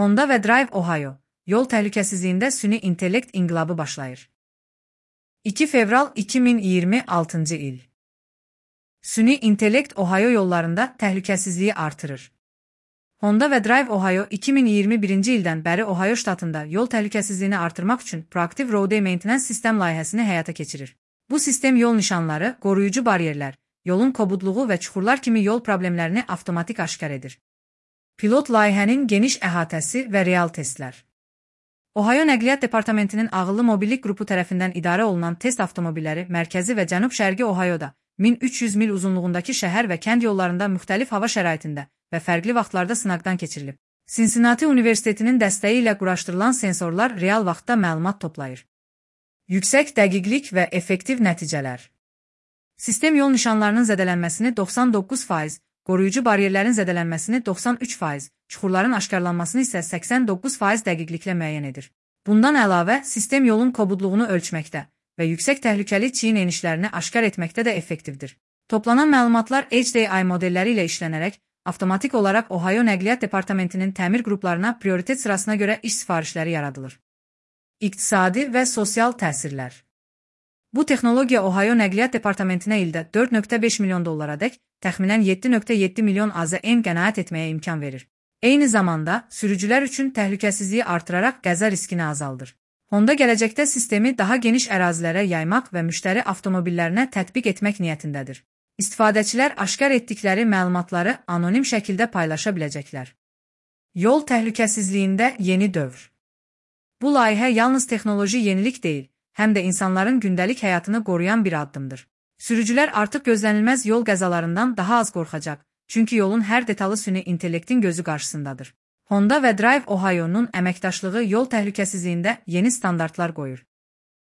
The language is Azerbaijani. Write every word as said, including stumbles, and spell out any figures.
Honda və Drive Ohio, yol təhlükəsizliyində süni intellekt inqilabı başlayır. iki fevral iki min iyirmi altıncı il. Süni intellekt Ohio yollarında təhlükəsizliyi artırır. Honda və Drive Ohio iki min iyirmi birinci ildən bəri Ohio ştatında yol təhlükəsizliyini artırmaq üçün Proactive Road Maintenance sistem layihəsini həyata keçirir. Bu sistem yol nişanları, qoruyucu bariyerlər, yolun kobudluğu və çuxurlar kimi yol problemlərini avtomatik aşkar edir. Pilot layihənin geniş əhatəsi və real testlər. Ohio Nəqliyyat Departamentinin ağıllı mobillik qrupu tərəfindən idarə olunan test avtomobilləri mərkəzi və cənub-şərqi Ohio'da min üç yüz mil uzunluğundakı şəhər və kənd yollarında müxtəlif hava şəraitində və fərqli vaxtlarda sınaqdan keçirilib. Cincinnati Universitetinin dəstəyi ilə quraşdırılan sensorlar real vaxtda məlumat toplayır. Yüksək dəqiqlik və effektiv nəticələr. Sistem yol nişanlarının zədələnməsini doxsan doqquz faiz, qoruyucu bariyerlərin zədələnməsini doxsan üç faiz, çuxurların aşkarlanmasını isə səksən doqquz faiz dəqiqliklə müəyyən edir. Bundan əlavə, sistem yolun kobudluğunu ölçməkdə və yüksək təhlükəli çiyin enişlərini aşkar etməkdə də effektivdir. Toplanan məlumatlar H D I modelləri ilə işlənərək, avtomatik olaraq Ohio Nəqliyyat Departamentinin təmir qruplarına prioritet sırasına görə iş sifarişləri yaradılır. İqtisadi və sosial təsirlər. Bu texnologiya Ohio Nəqliyyat Departamentinə ildə dörd nöqtə beş milyon dollara dək, təxminən yeddi nöqtə yeddi milyon A Z N qənaət etməyə imkan verir. Eyni zamanda, sürücülər üçün təhlükəsizliyi artıraraq qəza riskini azaldır. Honda gələcəkdə sistemi daha geniş ərazilərə yaymaq və müştəri avtomobillərinə tətbiq etmək niyyətindədir. İstifadəçilər aşkar etdikləri məlumatları anonim şəkildə paylaşa biləcəklər. Yol təhlükəsizliyində yeni dövr. Bu layihə yalnız texnoloji yenilik deyil, həm də insanların gündəlik həyatını qoruyan bir addımdır. Sürücülər artıq gözlənilməz yol qəzalarından daha az qorxacaq, çünki yolun hər detalı süni intellektin gözü qarşısındadır. Honda və Drive Ohio'nun əməkdaşlığı yol təhlükəsizliyində yeni standartlar qoyur.